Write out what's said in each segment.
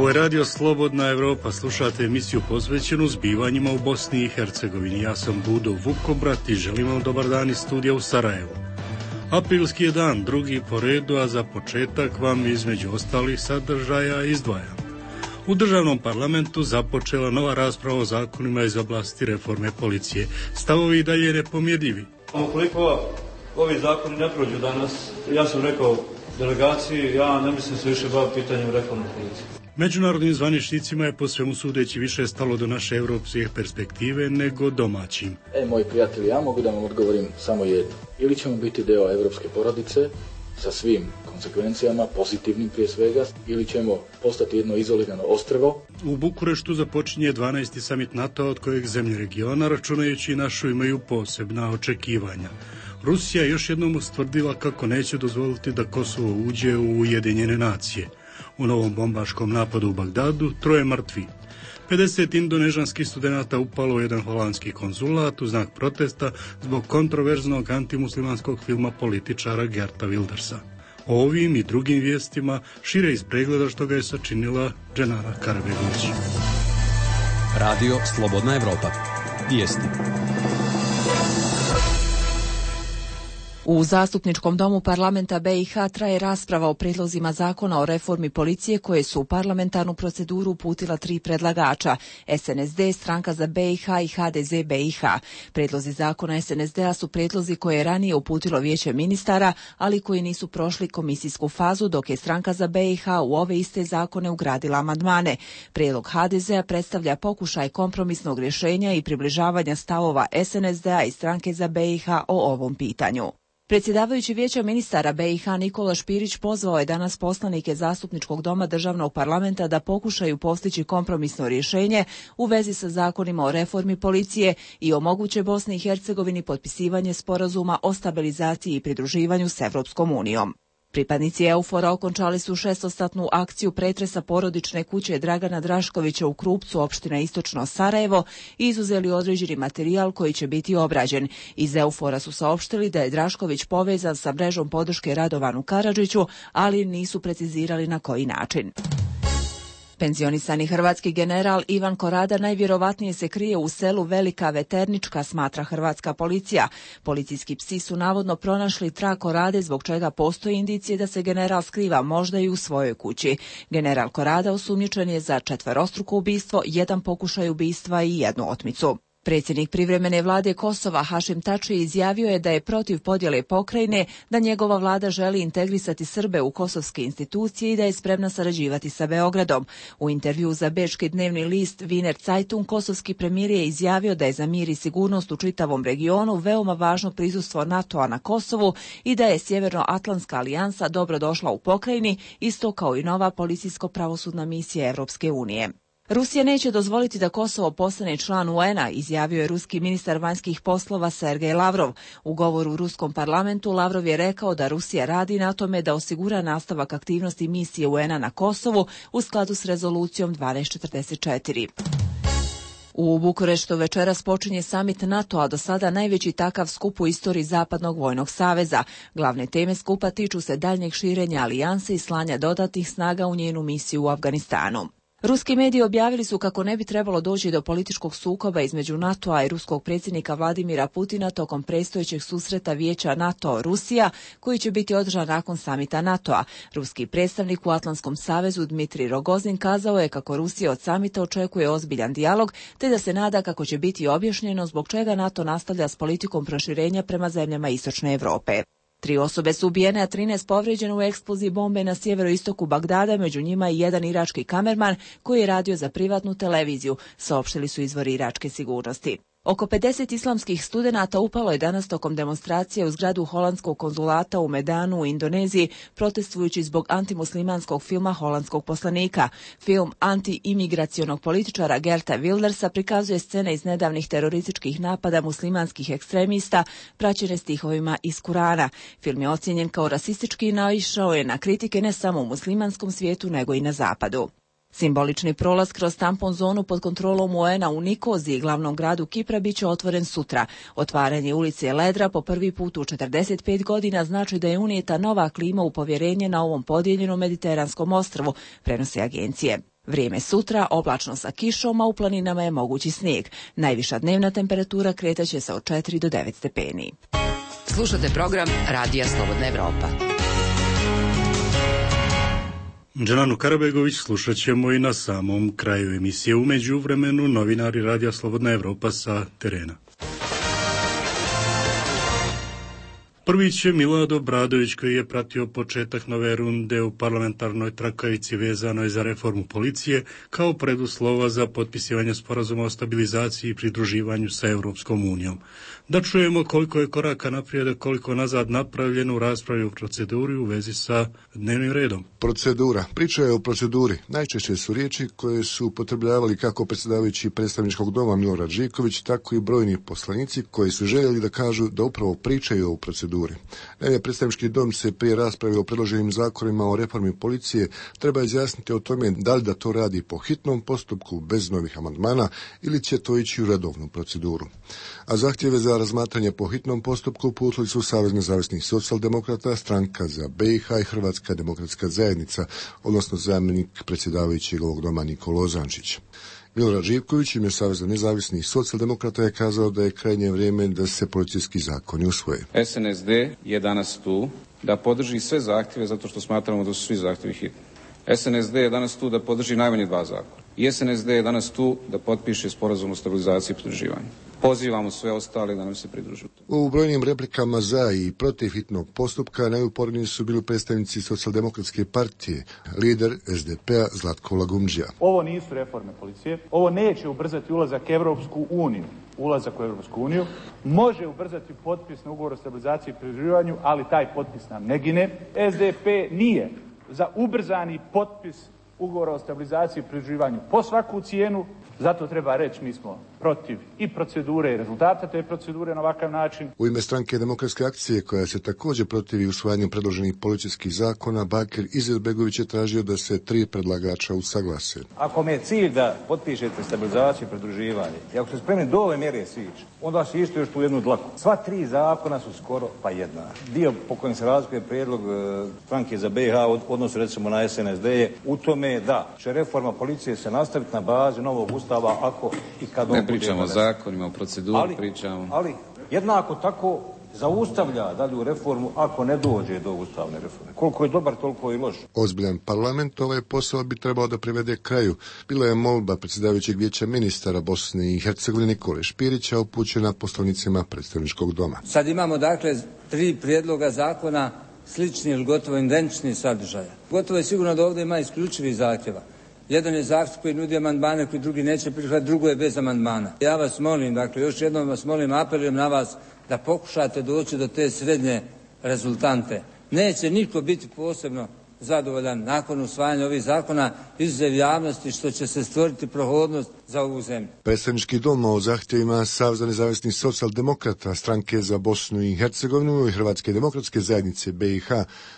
Ovo je radio Slobodna Evropa, slušate emisiju posvećenu zbivanjima u Bosni i Hercegovini. Ja sam Budo Vukobrat i želim vam dobar dan iz studija u Sarajevu. Aprilski je dan, drugi po redu, a za početak vam između ostalih sadržaja izdvajam. U državnom parlamentu započela nova rasprava o zakonima iz oblasti reforme policije. Stavovi i dalje nepomirljivi. Ukoliko ovi zakoni ne prođu danas, ja sam rekao delegaciji, ja ne mislim se više baviti pitanjem reforme policije. Međunarodnim zvaničnicima je po svemu sudeći više stalo do naše evropske perspektive nego domaćim. Moji prijatelji, ja mogu da vam odgovorim samo jedno. Ili ćemo biti deo evropske porodice sa svim konsekvencijama, pozitivnim prije svega, ili ćemo postati jedno izolirano ostrvo. U Bukureštu započinje 12. samit NATO od kojeg zemlje regiona, računajući našu, imaju posebna očekivanja. Rusija još jednom ustvrdila kako neće dozvoliti da Kosovo uđe u Ujedinjene nacije. U novom bombaškom napadu u Bagdadu 3 mrtvi. 50 indonežanskih studenata upalo u jedan holandski konzulat u znak protesta zbog kontroverznog antimuslimanskog filma političara Geerta Wildersa. O ovim i drugim vijestima šire iz pregleda što ga je sačinila Dženara Karabegović. Radio Slobodna Evropa. Vijesti. U Zastupničkom domu parlamenta BiH traje rasprava o prijedlozima zakona o reformi policije koje su u parlamentarnu proceduru uputila 3 predlagača, SNSD, Stranka za BiH i HDZ BiH. Prijedlozi zakona SNSD-a su prijedlozi koje je ranije uputilo Vijeće ministara, ali koji nisu prošli komisijsku fazu, dok je Stranka za BiH u ove iste zakone ugradila amandmane. Prijedlog HDZ-a predstavlja pokušaj kompromisnog rješenja i približavanja stavova SNSD-a i Stranke za BiH o ovom pitanju. Predsjedavajući Vijeća ministara BiH Nikola Špirić pozvao je danas poslanike Zastupničkog doma državnog parlamenta da pokušaju postići kompromisno rješenje u vezi sa zakonima o reformi policije i omoguće Bosni i Hercegovini potpisivanje sporazuma o stabilizaciji i pridruživanju s Evropskom unijom. Pripadnici EUFOR-a okončali su 6-satnu akciju pretresa porodične kuće Dragana Draškovića u Krupcu, opština Istočno Sarajevo, i izuzeli određeni materijal koji će biti obrađen. Iz EUFOR-a su saopštili da je Drašković povezan sa mrežom podrške Radovanu Karadžiću, ali nisu precizirali na koji način. Penzionisani hrvatski general Ivan Korada najvjerovatnije se krije u selu Velika Veternička, smatra hrvatska policija. Policijski psi su navodno pronašli trag Korade, zbog čega postoji indicije da se general skriva možda i u svojoj kući. General Korada osumnjičen je za 4-struko ubistvo, 1 pokušaj ubistva i 1 otmicu. Predsjednik privremene vlade Kosova Hašim Tači izjavio je da je protiv podjele pokrajine, da njegova vlada želi integrisati Srbe u kosovske institucije i da je spremna sarađivati sa Beogradom. U intervjuu za bečki dnevni list Wiener Zeitung kosovski premijer je izjavio da je za mir i sigurnost u čitavom regionu veoma važno prisustvo NATO-a na Kosovu i da je Sjevernoatlantska alijansa dobro došla u pokrajini, isto kao i nova policijsko-pravosudna misija Evropske unije. Rusija neće dozvoliti da Kosovo postane član UN-a, izjavio je ruski ministar vanjskih poslova Sergej Lavrov. U govoru u ruskom parlamentu Lavrov je rekao da Rusija radi na tome da osigura nastavak aktivnosti misije UN-a na Kosovu u skladu s rezolucijom 1244. U Bukureštu večeras počinje samit NATO-a, do sada najveći takav skup u istoriji Zapadnog vojnog saveza. Glavne teme skupa tiču se daljnjeg širenja alijanse i slanja dodatnih snaga u njenu misiju u Afganistanu. Ruski mediji objavili su kako ne bi trebalo doći do političkog sukoba između NATO-a i ruskog predsjednika Vladimira Putina tokom predstojećeg susreta Vijeća NATO-Rusija, koji će biti održan nakon samita NATO-a. Ruski predstavnik u Atlantskom savezu Dmitrij Rogozin kazao je kako Rusija od samita očekuje ozbiljan dijalog, te da se nada kako će biti objašnjeno zbog čega NATO nastavlja s politikom proširenja prema zemljama Istočne Evrope. 3 osobe su ubijene, a 13 povrijeđene u eksploziji bombe na sjeveroistoku Bagdada, među njima i 1 irački kamerman koji je radio za privatnu televiziju, saopštili su izvori iračke sigurnosti. Oko 50 islamskih studenata upalo je danas tokom demonstracije u zgradu holandskog konzulata u Medanu u Indoneziji, protestujući zbog antimuslimanskog filma holandskog poslanika. Film anti-imigracionog političara Geerta Wildersa prikazuje scene iz nedavnih terorističkih napada muslimanskih ekstremista, praćene stihovima iz Kurana. Film je ocijenjen kao rasistički i naišao je na kritike ne samo u muslimanskom svijetu, nego i na zapadu. Simbolični prolaz kroz tampon zonu pod kontrolom UN-a u Nikoziji, glavnom gradu Kipra, bit će otvoren sutra. Otvaranje ulice Ledra po prvi put u 45 godina znači da je unijeta nova klima u povjerenje na ovom podijeljenom mediteranskom ostrvu, prenose agencije. Vrijeme sutra oblačno sa kišom, a u planinama je mogući snijeg. Najviša dnevna temperatura kretaće se od 4 do 9 stepeni. Slušate program Radija Slobodna Evropa. Dželanu Karabegović slušat ćemo i na samom kraju emisije. U međuvremenu novinari Radija Slobodna Evropa sa terena. Prvić je Milorad Obradović, koji je pratio početak nove runde u parlamentarnoj trakavici vezanoj za reformu policije kao preduslova za potpisivanje sporazuma o stabilizaciji i pridruživanju sa Europskom unijom. Da čujemo koliko je koraka naprijed, koliko nazad napravljeno u raspravi u proceduri u vezi sa dnevnim redom. Procedura. Priča je o proceduri. Najčešće su riječi koje su upotrebljavali kako predsjedavajući predstavničkog doma Milorad Živković, tako i brojni poslanici koji su željeli da kažu da upravo pričaju o proceduri. Naime, predstavnički dom se prije rasprave o predloženim zakonima o reformi policije treba izjasniti o tome da li da to radi po hitnom postupku bez novih amandmana ili će to ići u redovnu proceduru. A zahtjeve za razmatranje po hitnom postupku uputili su Savez nezavisnih socijaldemokrata, Stranka za BiH i Hrvatska demokratska zajednica, odnosno zamjenik predsjedavajućeg ovog doma Nikola Ozančić. Milorad Živković, ime Saveza nezavisnih socijaldemokrata, je kazao da je krajnje vrijeme da se policijski zakoni usvoje. SNSD je danas tu da podrži sve zahtjeve zato što smatramo da su svi zahtjevi hitni. SNSD je danas tu da podrži najmanje 2 zakona. I SNSD je danas tu da potpiše sporazum o stabilizaciji i pridruživanju. Pozivamo sve ostale da nam se pridružuju. U brojnim replikama za i protiv hitnog postupka najuporniji su bili predstavnici Socijaldemokratske partije, lider SDP-a Zlatko Lagumdžija. Ovo nisu reforme policije, ovo neće ubrzati ulazak u Europsku uniju, može ubrzati potpis na ugovor o stabilizaciji i pridruživanju, ali taj potpis nam ne gine. SDP nije za ubrzani potpis ugovora o stabilizaciji i pridruživanju po svaku cijenu, zato treba reći mi smo protiv i procedure i rezultata te procedure na ovakav način. U ime Stranke demokratske akcije, koja se također protivi usvajanju predloženih policijskih zakona, Bakir Izetbegović je tražio da se 3 predlagača usaglase. Ako mi je cilj da potpišete stabilizaciju i pridruživanje, i ako ste spremni do ove mjere sići, onda se isto još tu jednu dlaku. Sva 3 zakona su skoro pa jedna. Dio po kojem se razlikuje prijedlog Stranke za BiH odnosu recimo na SNSD je u tome da će reforma policije se nastaviti na bazi novog ustava ako i kad on pričamo o zakonima, o proceduri, ali jednako tako zaustavlja dalju reformu ako ne dođe do ustavne reforme. Koliko je dobar, toliko je loš. Ozbiljan parlament ovaj posao bi trebao da privede kraju. Bila je molba predsjedavajućeg vijeća ministara Bosne i Hercegovine Nikole Špirića upućena poslanicima predstavničkog doma. Sad imamo dakle 3 prijedloga zakona slični ili gotovo identični sadržaja. Gotovo je sigurno da ovdje ima isključivih zahtjeva. Jedan je zahtjev koji nudi amandmane, koji drugi neće prihvatiti, drugo je bez amandmana. Ja vas molim, dakle, još jednom vas molim, apelujem na vas da pokušate doći do te srednje rezultante. Neće niko biti posebno zadovoljan nakon usvajanja ovih zakona, izuzev javnosti, što će se stvoriti prohodnost za ovu zemlju. Predstavnički dom o zahtjevima Saveza nezavisnih socijaldemokrata, Stranke za Bosnu i Hercegovinu i Hrvatske demokratske zajednice BiH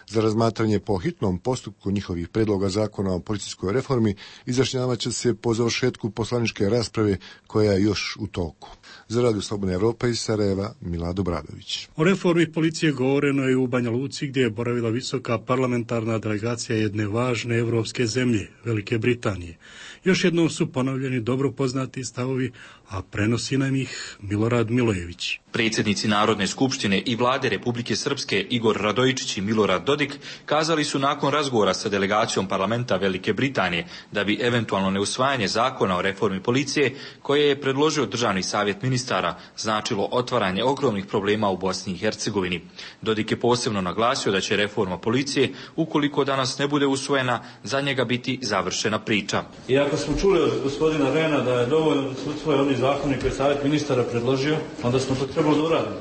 za razmatranje po hitnom postupku njihovih predloga zakona o policijskoj reformi izjašnjavat će se po završetku poslaničke rasprave koja je još u toku. Za Radio Slobodna Evropa iz Sarajeva, Milorad Obradović. O reformi policije govoreno je u Banja Luci, gdje je boravila visoka parlamentarna delegacija jedne važne evropske zemlje, Velike Britanije. Još jednom su ponovljeni dobro poznati stavovi, a prenosi nam ih Milorad Milojević. Predsjednici Narodne skupštine i vlade Republike Srpske Igor Radojičić i Milorad Dodik kazali su nakon razgovora sa delegacijom parlamenta Velike Britanije da bi eventualno neusvajanje zakona o reformi policije, koje je predložio Državni savjet ministara, značilo otvaranje ogromnih problema u Bosni i Hercegovini. Dodik je posebno naglasio da će reforma policije, ukoliko danas ne bude usvojena, za njega biti završena priča. I ako smo čuli od gospodina Rena da je dovoljno da se usvoje oni zakoni koje je savjet ministara predložio, onda smo to trebalo da uradimo.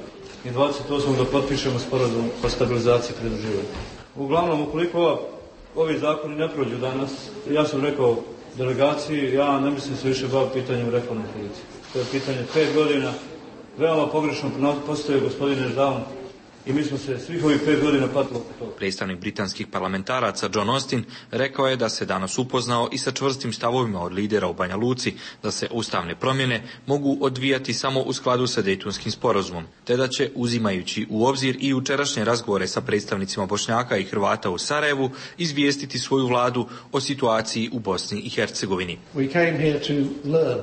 I 28. da potpišemo sporazum o stabilizaciji i pridruživanju. Uglavnom, ukoliko ovi zakoni ne prođu danas, ja sam rekao delegaciji, ja ne mislim se više baviti pitanjem reforme policije. To je pitanje 5 godina, veoma pogrešno postoje gospodine Ždavan. I mi smo se svih ovih 5 godina patili oko toga. Predstavnik britanskih parlamentaraca John Austin rekao je da se danas upoznao i sa čvrstim stavovima od lidera u Banja Luci da se ustavne promjene mogu odvijati samo u skladu sa Dejtonskim sporazumom, te da će, uzimajući u obzir i jučerašnje razgovore sa predstavnicima Bošnjaka i Hrvata u Sarajevu, izvijestiti svoju vladu o situaciji u Bosni i Hercegovini.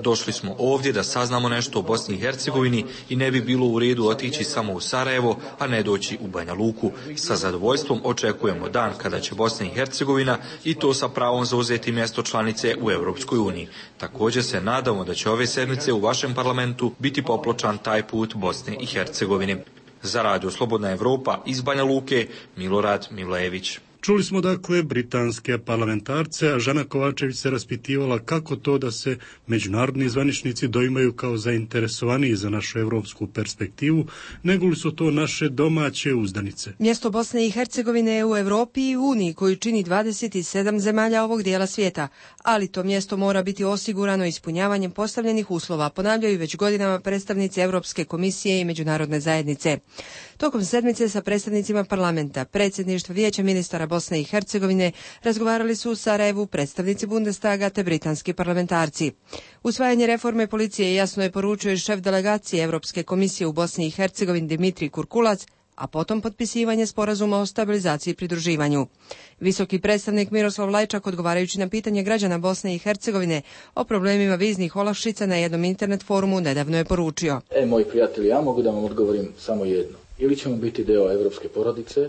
Došli smo ovdje da saznamo nešto o Bosni i Hercegovini i ne bi bilo u redu otići samo u Sarajevo, a ne doći u Banja Luku. Sa zadovoljstvom očekujemo dan kada će Bosna i Hercegovina i to sa pravom zauzeti mjesto članice u Europskoj uniji. Također se nadamo da će ove sedmice u vašem parlamentu biti popločan taj put Bosne i Hercegovine. Za Radio Slobodna Evropa iz Banja Luke, Milorad Milojević. Čuli smo dakle britanske parlamentarce, a Žana Kovačević se raspitivala kako to da se međunarodni zvaničnici doimaju kao zainteresovaniji za našu evropsku perspektivu, nego li su to naše domaće uzdanice. Mjesto Bosne i Hercegovine je u Europi i Uniji koju čini 27 zemalja ovog dijela svijeta, ali to mjesto mora biti osigurano ispunjavanjem postavljenih uslova, ponavljaju već godinama predstavnici Europske komisije i međunarodne zajednice. Tokom sedmice sa predstavnicima parlamenta, predsjedništva Vijeća ministara Bosne i Hercegovine razgovarali su u Sarajevu predstavnici Bundestaga te britanski parlamentarci. Usvajanje reforme policije jasno je poručio i šef delegacije Europske komisije u Bosni i Hercegovini Dimitrij Kurkulac, a potom potpisivanje sporazuma o stabilizaciji i pridruživanju. Visoki predstavnik Miroslav Lajčak, odgovarajući na pitanje građana Bosne i Hercegovine o problemima viznih olakšica na jednom internet forumu, nedavno je poručio: moji prijatelji, ja mogu da vam odgovorim samo jedno. Ili ćemo biti deo evropske porodice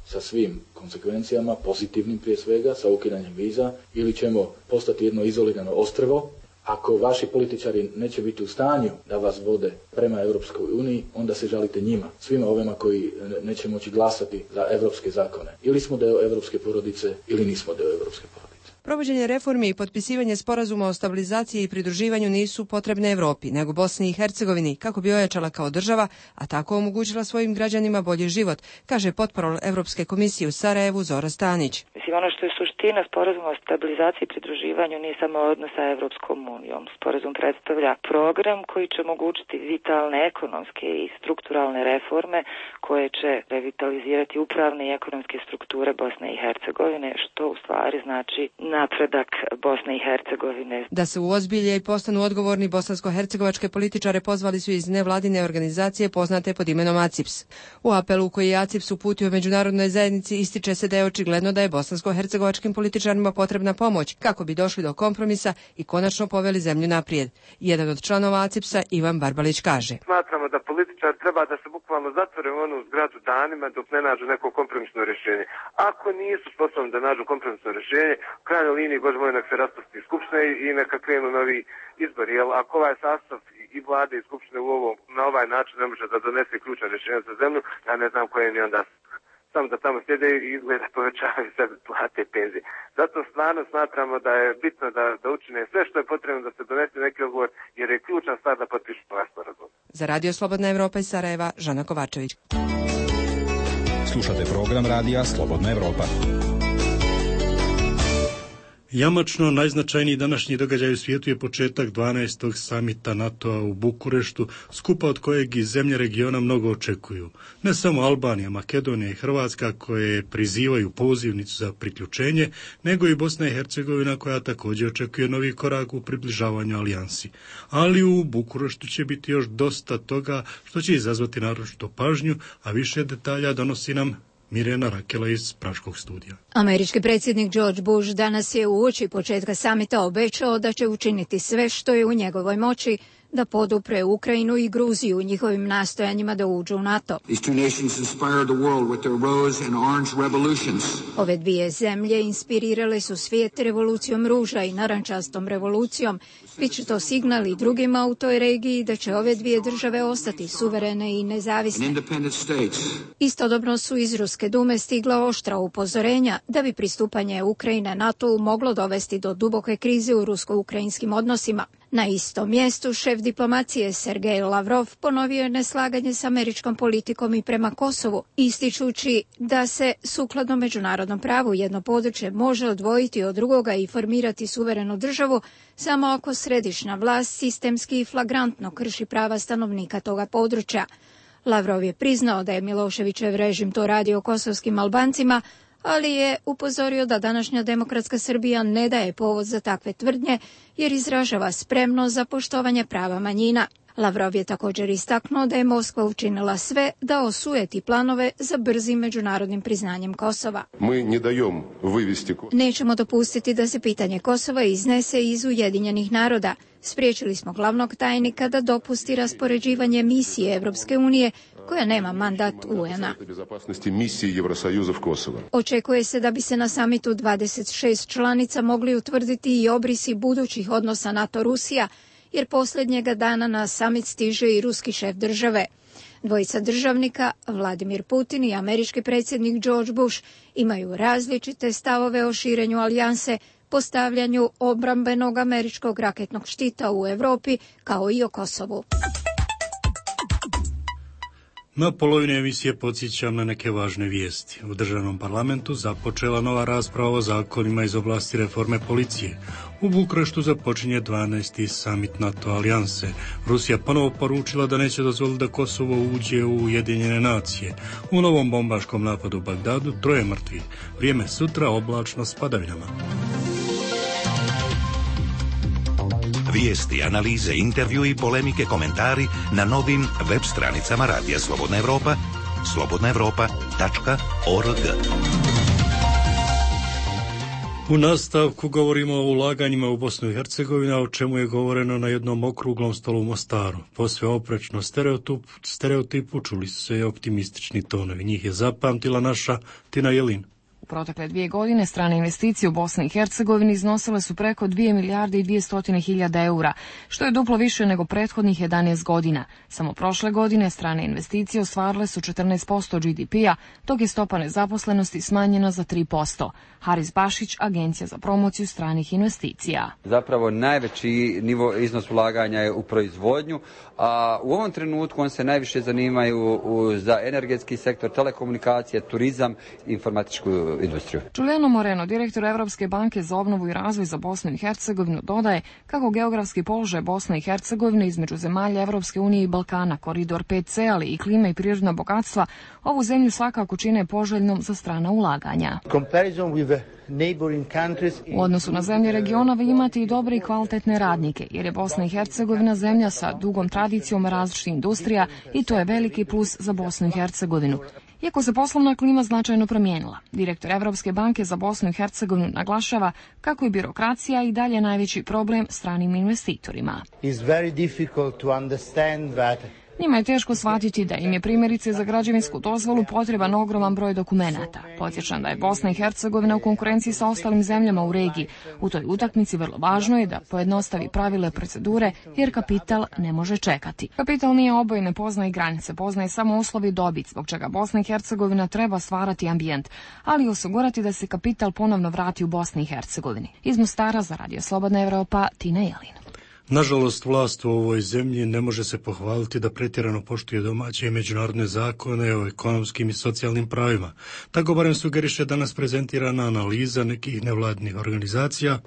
sa svim konsekvencijama, pozitivnim prije svega, sa ukidanjem viza, ili ćemo postati jedno izolirano ostrvo. Ako vaši političari neće biti u stanju da vas vode prema Europskoj uniji, onda se žalite njima, svima ovima koji neće moći glasati za evropske zakone. Ili smo deo evropske porodice, ili nismo deo evropske porodice. Provođenje reformi i potpisivanje sporazuma o stabilizaciji i pridruživanju nisu potrebne Europi, nego Bosni i Hercegovini, kako bi ojačala kao država, a tako omogućila svojim građanima bolji život, kaže potporol Europske komisije u Sarajevu Zora Stanić. Ono što je suština sporazuma o stabilizaciji i pridruživanju nije samo odnos sa Evropskom unijom. Sporazum predstavlja program koji će omogućiti vitalne ekonomske i strukturalne reforme koje će revitalizirati upravne i ekonomske strukture Bosne i Hercegovine, što u stvari znači napredak Bosne i Hercegovine. Da se uozbilje i postanu odgovorni, bosansko-hercegovačke političare pozvali su iz nevladine organizacije poznate pod imenom ACIPS. U apelu koji je ACIPS uputio međunarodnoj zajednici ističe se da je očigledno da je bosansko-hercegovačkim političarima potrebna pomoć kako bi došli do kompromisa i konačno poveli zemlju naprijed. Jedan od članova ACIPS-a, Ivan Barbalić, kaže: Smatramo da političar treba da se bukvalno zatvore u onu zgradu danima dok ne nađu neko kompromisno rješenje. Ako nisu sposobni da nađu kompromisno rješenje, u krajnjoj liniji, Bože moj, nek se raspusti skupština i neka krenu novi izbori. Jer ako ovaj sastav i vlade i skupštine na ovaj način ne može da donese ključna rješenja za zemlju, ja ne znam koje ni onda samo da tamo sjede i izgleda povećavaju sebe plate i penzije. Zato stvarno smatramo da je bitno da učine sve što je potrebno da se donese neki odgovor, jer je ključna stvar da potpišu ovaj sporazum. Za Radio Slobodna Evropa iz Sarajeva, Žana Kovačević. Slušate program Radija Slobodna Evropa. Jamačno najznačajniji današnji događaj u svijetu je početak 12. samita NATO-a u Bukureštu, skupa od kojeg i zemlje regiona mnogo očekuju. Ne samo Albanija, Makedonija i Hrvatska koje prizivaju pozivnicu za priključenje, nego i Bosna i Hercegovina koja također očekuje novi korak u približavanju alijansi. Ali u Bukureštu će biti još dosta toga što će izazvati naročito pažnju, a više detalja donosi nam Mirjana Rakela iz Praškog studija. Američki predsjednik George Bush danas je uoči početka samita obećao da će učiniti sve što je u njegovoj moći da podupre Ukrajinu i Gruziju u njihovim nastojanjima da uđu u NATO. Ove dvije zemlje inspirirale su svijet revolucijom ruža i narančastom revolucijom. Biće to signal i drugima u toj regiji da će ove dvije države ostati suverene i nezavisne. Istodobno su iz Ruske dume stigla oštra upozorenja da bi pristupanje Ukrajine NATO moglo dovesti do duboke krize u rusko-ukrajinskim odnosima. Na istom mjestu šef diplomacije Sergej Lavrov ponovio je neslaganje s američkom politikom i prema Kosovu, ističući da se sukladno međunarodnom pravu jedno područje može odvojiti od drugoga i formirati suverenu državu samo ako središnja vlast sistemski i flagrantno krši prava stanovnika toga područja. Lavrov je priznao da je Miloševićev režim to radio kosovskim Albancima, ali je upozorio da današnja demokratska Srbija ne daje povod za takve tvrdnje jer izražava spremnost za poštovanje prava manjina. Lavrov je također istaknuo da je Moskva učinila sve da osujeti planove za brzim međunarodnim priznanjem Kosova. Nećemo dopustiti da se pitanje Kosova iznese iz Ujedinjenih naroda. Spriječili smo glavnog tajnika da dopusti raspoređivanje misije Evropske unije koja nema mandat UN-a. Očekuje se da bi se na samitu 26 članica mogli utvrditi i obrisi budućih odnosa NATO-Rusija, jer posljednjega dana na samit stiže i ruski šef države. Dvojica državnika, Vladimir Putin i američki predsjednik George Bush, imaju različite stavove o širenju alijanse, postavljanju obrambenog američkog raketnog štita u Europi, kao i o Kosovu. Na polovini emisije podsjećam na neke važne vijesti. U državnom parlamentu započela nova rasprava o zakonima iz oblasti reforme policije. U Bukureštu započinje 12. samit NATO alijanse. Rusija ponovo poručila da neće dozvoliti da Kosovo uđe u Ujedinjene nacije. U novom bombaškom napadu u Bagdadu 3 mrtvih. Vrijeme sutra oblačno s padavinama. Vijesti, analize, intervju i polemike, komentari na novim web stranicama Radija Slobodna Evropa, slobodnaevropa.org. U nastavku govorimo o ulaganjima u Bosnu i Hercegovinu, o čemu je govoreno na jednom okruglom stolu u Mostaru. Posve oprečno stereotipu čuli su se i optimistični tonovi. Njih je zapamtila naša Tina Jelin. U protekle 2 godine strane investicije u Bosni i Hercegovini iznosile su preko 2 milijarde i 200 hiljada eura, što je duplo više nego prethodnih 11 godina. Samo prošle godine strane investicije ostvarile su 14% GDP-a, dok je stopa nezaposlenosti smanjena za 3%. Haris Bašić, Agencija za promociju stranih investicija. Zapravo najveći iznos ulaganja je u proizvodnju, a u ovom trenutku on se najviše zanimaju za energetski sektor, telekomunikacije, turizam i informatičku industriju. Giuliano Moreno, direktor Evropske banke za obnovu i razvoj za Bosnu i Hercegovinu, dodaje kako geografski položaj Bosne i Hercegovine između zemalja Evropske unije i Balkana, koridor 5C, ali i klima i prirodna bogatstva, ovu zemlju svakako čine poželjnom za strana ulaganja. U odnosu na zemlje regiona vi imate i dobre i kvalitetne radnike, jer je Bosna i Hercegovina zemlja sa dugom tradicijom različitih industrija i to je veliki plus za Bosnu i Hercegovinu. Iako se poslovna klima značajno promijenila, direktor Evropske banke za Bosnu i Hercegovinu naglašava kako je birokracija i dalje najveći problem stranim investitorima. Njima je teško shvatiti da im je primjerice za građevinsku dozvolu potreban ogroman broj dokumenata. Podsjećam da je Bosna i Hercegovina u konkurenciji sa ostalim zemljama u regiji. U toj utakmici vrlo važno je da pojednostavi pravile procedure, jer kapital ne može čekati. Kapital nije oboj, ne poznaje granice, poznaje samo uslovi i dobit, zbog čega Bosna i Hercegovina treba stvarati ambijent, ali osigurati da se kapital ponovno vrati u Bosni i Hercegovini. Iz Mostara za Radio Slobodna Evropa, Tina Jelin. Nažalost, vlast u ovoj zemlji ne može se pohvaliti da pretjerano poštuje domaće i međunarodne zakone o ekonomskim i socijalnim pravima. Tako barem sugeriše danas prezentirana analiza nekih nevladnih organizacija,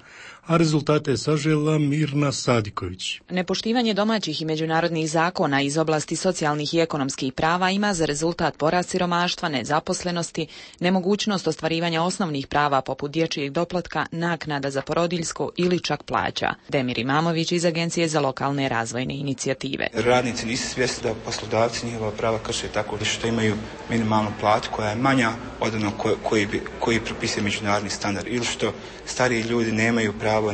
a rezultate je sažela Mirna Sadiković. Nepoštivanje domaćih i međunarodnih zakona iz oblasti socijalnih i ekonomskih prava ima za rezultat porast siromaštva, nezaposlenosti, nemogućnost ostvarivanja osnovnih prava poput dječjeg doplatka, naknada za porodiljsko ili čak plaća. Demir Imamović iz Agencije za lokalne razvojne inicijative. Radnici nisu svjesni da poslodavci njihova prava krše tako što imaju minimalnu platu koja je manja od onog koji propisuje međunarodni standard, ili što stariji ljudi nemaju pravo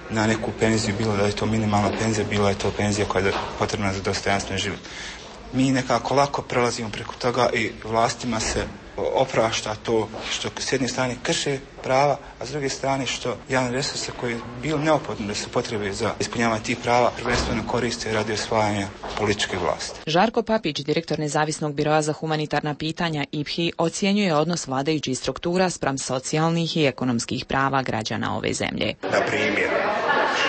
na neku penziju, bilo da je to minimalna penzija, bilo je to penzija koja je potrebna za dostojanstven život. Mi nekako lako prelazimo preko toga i vlastima se oprašta to što s jedne strane krše prava, a s druge strane što javne resurse koji je bilo neophodno da se potrebe za ispunjavanje tih prava prvenstveno koriste radi osvajanja političke vlasti. Žarko Papić, direktor Nezavisnog biroa za humanitarna pitanja IPHI, ocjenjuje odnos vladajućih struktura spram socijalnih i ekonomskih prava građana ove zemlje. Na primjer,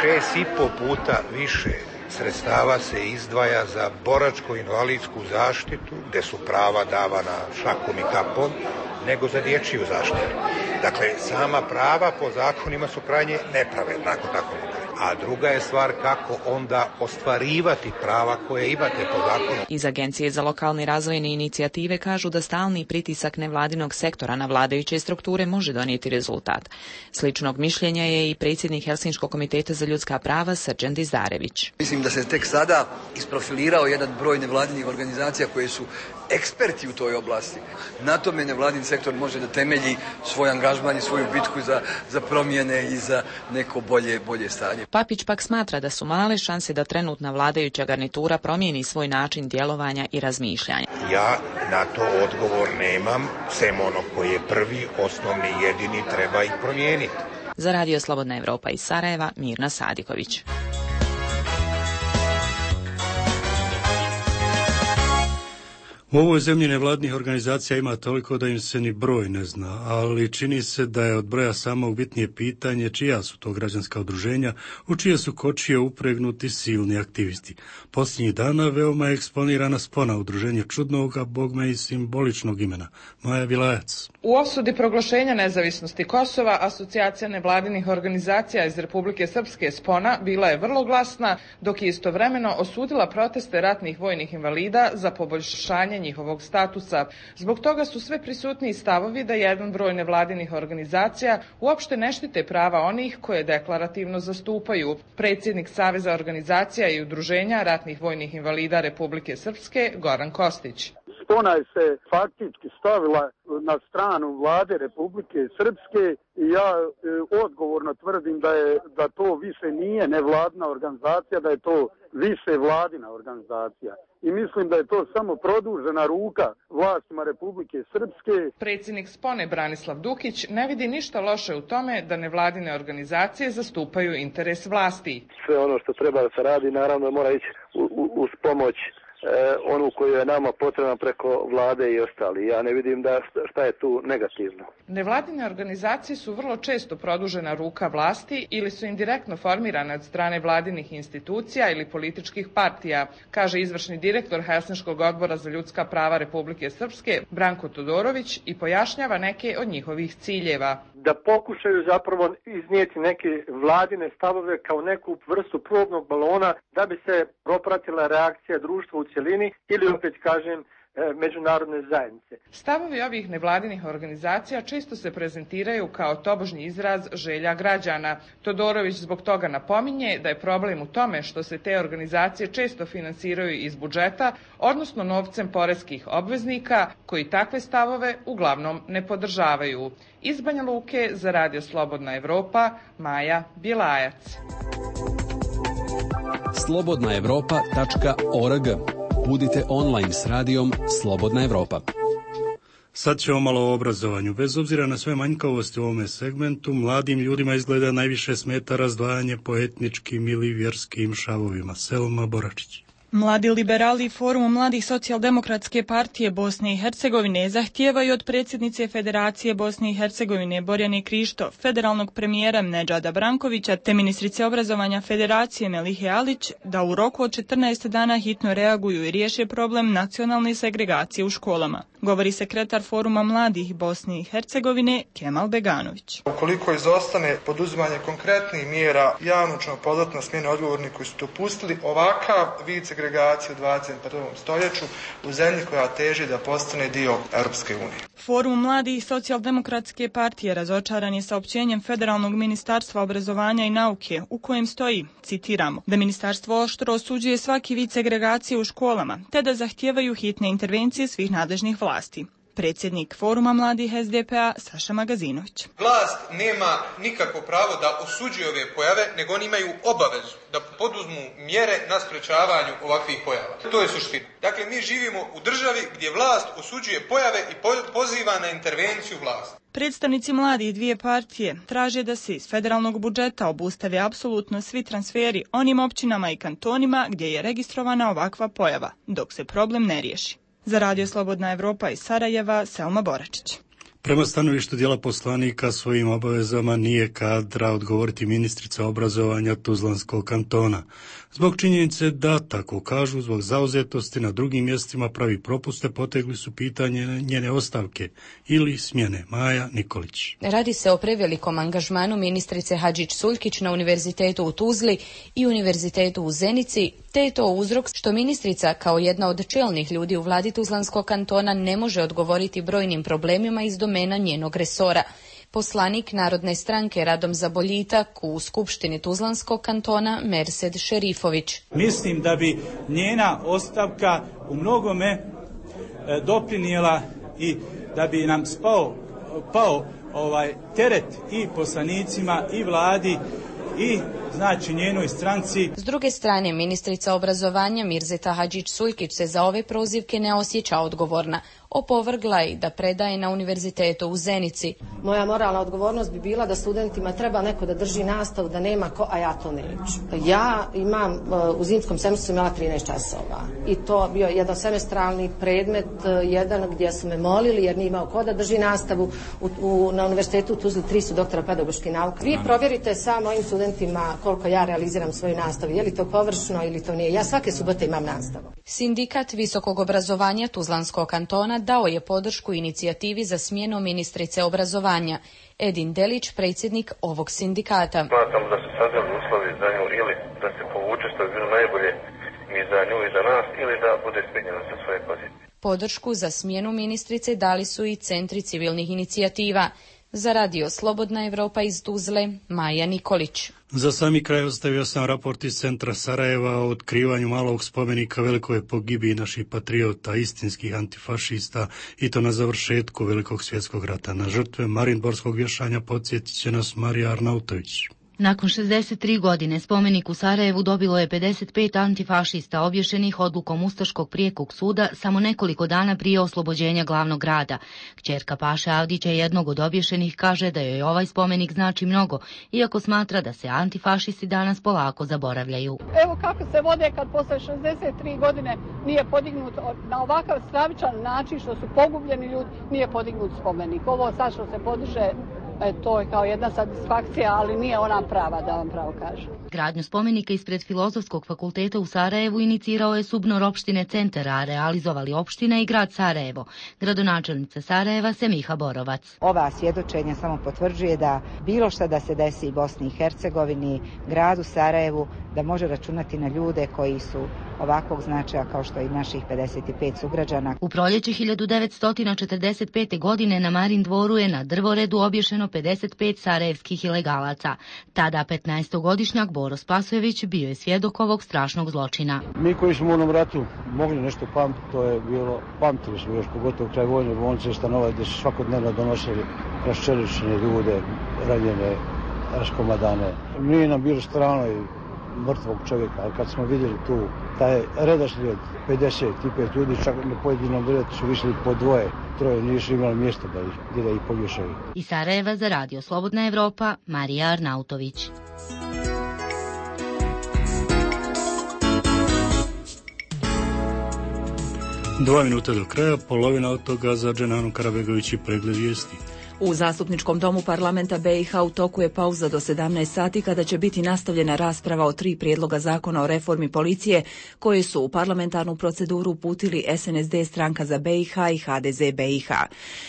6,5 puta više sredstava se izdvaja za boračko-invalidsku zaštitu, gdje su prava davana šakom i kapom, nego za dječju zaštitu. Dakle, sama prava po zakonima su krajnje nepravedna, ako tako mogu. a druga je stvar kako onda ostvarivati prava koje imate po zakonu. Iz Agencije za lokalne razvojne inicijative kažu da stalni pritisak nevladinog sektora na vladajuće strukture može donijeti rezultat. Sličnog mišljenja je i predsjednik Helsinškog komiteta za ljudska prava Srđan Dizdarević. Mislim da se tek sada isprofilirao jedan broj nevladinih organizacija koje su eksperti u toj oblasti. Na tome nevladin sektor može da temelji svoj angažman i svoju bitku za promjene i za neko bolje stanje. Papić pak smatra da su male šanse da trenutna vladajuća garnitura promijeni svoj način djelovanja i razmišljanja. Ja na to odgovor nemam, sem ono koji je prvi, osnovni, jedini, treba ih promijeniti. Za Radio Slobodna Evropa iz Sarajeva, Mirna Sadiković. U ovoj zemlji nevladnih organizacija ima toliko da im se ni broj ne zna, ali čini se da je od broja samog bitnije pitanje čija su to građanska udruženja, u čije su kočije upregnuti silni aktivisti. Posljednjih dana veoma je eksponirana spona udruženja čudnog, a bogme i simboličnog imena. Maja Bilajac. U osudi proglašenja nezavisnosti Kosova, asocijacija nevladinih organizacija iz Republike Srpske Spona bila je vrlo glasna, dok je istovremeno osudila proteste ratnih vojnih invalida za poboljšanje njihovog statusa. Zbog toga su sve prisutniji stavovi da jedan broj nevladinih organizacija uopšte ne štite prava onih koje deklarativno zastupaju. Predsjednik Saveza organizacija i udruženja ratnih vojnih invalida Republike Srpske, Goran Kostić. Spona je se faktički stavila na stranu vlade Republike Srpske i ja odgovorno tvrdim da to više nije nevladina organizacija, da je to više vladina organizacija. I mislim da je to samo produžena ruka vlastima Republike Srpske. Predsjednik Spone Branislav Dukić ne vidi ništa loše u tome da nevladine organizacije zastupaju interes vlasti. Sve ono što treba da se radi naravno mora ići uz pomoć onu koju je nama potrebna preko vlade i ostali. Ja ne vidim da šta je tu negativno. Nevladine organizacije su vrlo često produžena ruka vlasti ili su indirektno formirane od strane vladinih institucija ili političkih partija, kaže izvršni direktor Helsinškog odbora za ljudska prava Republike Srpske Branko Todorović i pojašnjava neke od njihovih ciljeva. Da pokušaju zapravo iznijeti neke vladine stavove kao neku vrstu probnog balona da bi se propratila reakcija društva u cjelini ili opet kažem međunarodne zajednice. Stavovi ovih nevladinih organizacija često se prezentiraju kao tobožnji izraz želja građana. Todorović zbog toga napominje da je problem u tome što se te organizacije često finansiraju iz budžeta, odnosno novcem poreskih obveznika koji takve stavove uglavnom ne podržavaju. Iz Banja Luke za Radio Slobodna Evropa, Maja Bjelajac. slobodnaevropa.org. Budite online s radijom Slobodna Evropa. Sad ćemo malo o obrazovanju. Bez obzira na sve manjkavosti u ovome segmentu, mladim ljudima izgleda najviše smeta razdvajanje po etničkim ili vjerskim šavovima. Selma Boračić. Mladi liberali Forum mladih socijaldemokratske partije Bosne i Hercegovine zahtijevaju od predsjednice Federacije Bosne i Hercegovine Borjane Krišto, federalnog premijera Nedžada Brankovića te ministrice obrazovanja Federacije Melihe Alić da u roku od 14 dana hitno reaguju i riješe problem nacionalne segregacije u školama. Govori sekretar Foruma mladih Bosne i Hercegovine Kemal Beganović. Ukoliko izostane poduzimanje konkretnih mjera, javno ćemo pozvati na smjenu odgovornih koji su dopustili ovakav vid segregacije u 21. stoljeću u zemlji koja teži da postane dio Europske unije. Forum mladih socijaldemokratske partije razočaran je saopćenjem Federalnog ministarstva obrazovanja i nauke u kojem stoji, citiramo, da ministarstvo oštro osuđuje svaki vid segregacije u školama te da zahtijevaju hitne intervencije svih nadležnih vlasti. Predsjednik Foruma mladih SDP-a Saša Magazinović. Vlast nema nikakvo pravo da osuđuje ove pojave, nego oni imaju obavezu da poduzmu mjere na sprečavanju ovakvih pojava. To je suština. Dakle, mi živimo u državi gdje vlast osuđuje pojave i poziva na intervenciju vlasti. Predstavnici mladih dvije partije traže da se iz federalnog budžeta obustave apsolutno svi transferi onim općinama i kantonima gdje je registrovana ovakva pojava, dok se problem ne riješi. Za Radio Slobodna Evropa iz Sarajeva, Selma Boračić. Prema stanovištu dijela poslanika svojim obavezama nije kadra odgovoriti ministrica obrazovanja Tuzlanskog kantona. Zbog činjenice da, tako kažu, zbog zauzetosti na drugim mjestima pravi propuste, potegli su pitanje njene ostavke ili smjene. Maja Nikolić. Radi se o prevelikom angažmanu ministrice Hadžić-Suljkić na Univerzitetu u Tuzli i Univerzitetu u Zenici, te je to uzrok što ministrica kao jedna od čelnih ljudi u vladi Tuzlanskog kantona ne može odgovoriti brojnim problemima iz domena njenog resora. Poslanik Narodne stranke Radom za boljitak u Skupštini Tuzlanskog kantona Mersed Šerifović. Mislim da bi njena ostavka u mnogome doprinijela i da bi nam pao teret i poslanicima i vladi i znači njenoj stranci. S druge strane, ministrica obrazovanja Mirzeta Hadžić-Suljkić se za ove prozivke ne osjeća odgovorna. Opovrgla je da predaje na Univerzitetu u Zenici. Moja moralna odgovornost bi bila da studentima treba neko da drži nastavu, da nema ko, a ja to neću. Ja imam, u zimskom semestru imala 13 časova i to bio jedan semestralni predmet, jedan gdje su me molili jer nije imao ko da drži nastavu. Na Univerzitetu u Tuzli 3 su doktora pedagoških nauka. Vi provjerite sa mojim studentima koliko ja realiziram svoju nastavu, je li to površno ili to nije. Ja svake subote imam nastavu. Sindikat visokog obrazovanja Tuzlanskog kantona dao je podršku inicijativi za smjenu ministrice obrazovanja. Edin Delić, predsjednik ovog sindikata. Smatram da su sazreli uslovi za nju ili da se povuče, što bi bilo najbolje i za nju i za nas, ili da bude smijenjena sa svoje pozicije. Podršku za smjenu ministrice dali su i centri civilnih inicijativa. Za radio Slobodna Evropa iz Tuzle, Maja Nikolić. Za sami kraj ostavio sam raport iz centra Sarajeva o otkrivanju malog spomenika velikoj pogibiji naših patriota, istinskih antifašista, i to na završetku Velikog svjetskog rata. Na žrtve marinborskog vješanja podsjetit će nas Marija Arnautović. Nakon 63 godine spomenik u Sarajevu dobilo je 55 antifašista obješenih odlukom Ustaškog prijekog suda samo nekoliko dana prije oslobođenja glavnog grada. Kćerka Paše Avdića, jednog od obješenih, kaže da joj ovaj spomenik znači mnogo, iako smatra da se antifašisti danas polako zaboravljaju. Evo kako se vode kad posle 63 godine nije podignut na ovakav stravičan način što su pogubljeni ljudi, nije podignut spomenik. Ovo sad što se podiže, to je kao jedna satisfakcija, ali nije ona prava, da vam pravo kažem. Gradnju spomenika ispred Filozofskog fakulteta u Sarajevu inicirao je SUBNOR opštine Centar, a realizovali opština i grad Sarajevo. Gradonačelnica Sarajeva Semiha Borovac. Ova svjedočenja samo potvrđuje da bilo šta da se desi i Bosni i Hercegovini, gradu Sarajevu, da može računati na ljude koji su ovakvog značaja kao što i naših 55 sugrađana. U proljeće 1945. godine na Marin dvoru je na drvoredu obješeno 55 sarajevskih ilegalaca. Tada 15-godišnjak Boro Spasojević bio je svjedok ovog strašnog zločina. Mi koji smo u onom ratu mogli nešto pamtiti, to je bilo, pamtili smo još pogotovo kraj vojne bolnice Stanova, gdje su svakodnevno donosili raščeličene ljude, ranjene, raskomadane. Nije nam bilo strano i mrtvog čovjeka, ali kad smo vidjeli tu taj redoslijed 55 ljudi, čak na pojedinom redu su visili po dvoje, troje, nisu imali mjesta da ih poglješaju. Iz Sarajeva za radio Slobodna Evropa, Marija Arnautović. Dva minuta do kraja, polovina od toga za Dženanu Karabegović i pregled vijesti. U Zastupničkom domu parlamenta BiH u toku je pauza do 17 sati kada će biti nastavljena rasprava o 3 prijedloga zakona o reformi policije koje su u parlamentarnu proceduru uputili SNSD Stranka za BiH i HDZ BiH.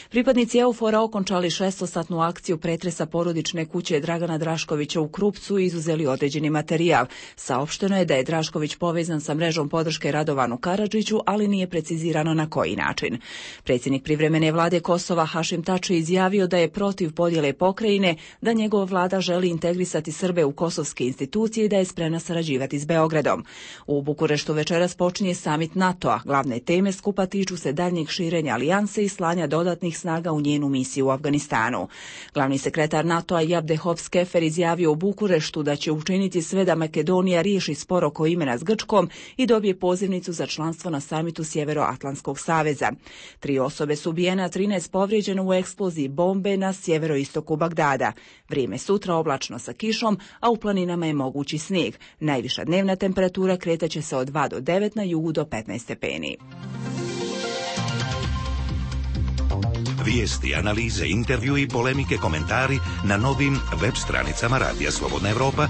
Pripadnici EUFOR-a okončali 6-satnu akciju pretresa porodične kuće Dragana Draškovića u Krupcu i izuzeli određeni materijal. Saopšteno je da je Drašković povezan sa mrežom podrške Radovanu Karadžiću, ali nije precizirano na koji način. Predsjednik privremene vlade Kosova Hašim Tači izjavio da je protiv podjele pokrajine, da njegova vlada želi integrisati Srbe u kosovske institucije i da je spremna sarađivati s Beogradom. U Bukureštu večeras počinje samit NATO-a. Glavne teme skupa tiču se daljnjeg širenja alijanse i slanja dodatnih snaga u njenu misiju u Afganistanu. Glavni sekretar NATO-a Jabdehov Skefer izjavio u Bukureštu da će učiniti sve da Makedonija riješi spor oko imena s Grčkom i dobije pozivnicu za članstvo na samitu Sjeveroatlantskog saveza. 3 osobe su ubijene, 13 povrijeđeno u eksploziji bombe na sjeveroistoku Bagdada. Vrijeme sutra oblačno sa kišom, a u planinama je mogući snijeg. Najviša dnevna temperatura kretaće se od 2 do 9, na jugu do 15 stepeni. Vijesti, analize, intervju i polemike, komentari na novim web stranicama Radija Slobodna Evropa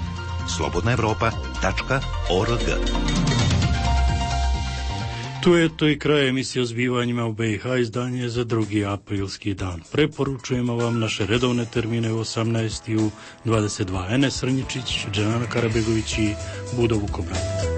slobodnaevropa.org. Tu je to i kraj emisije o zbivanjima u BiH, izdanje za 2. aprilski dan. Preporučujemo vam naše redovne termine u 18 i u 22. Enes Srnjičić, Dženana Karabegović i Budo Vukobran.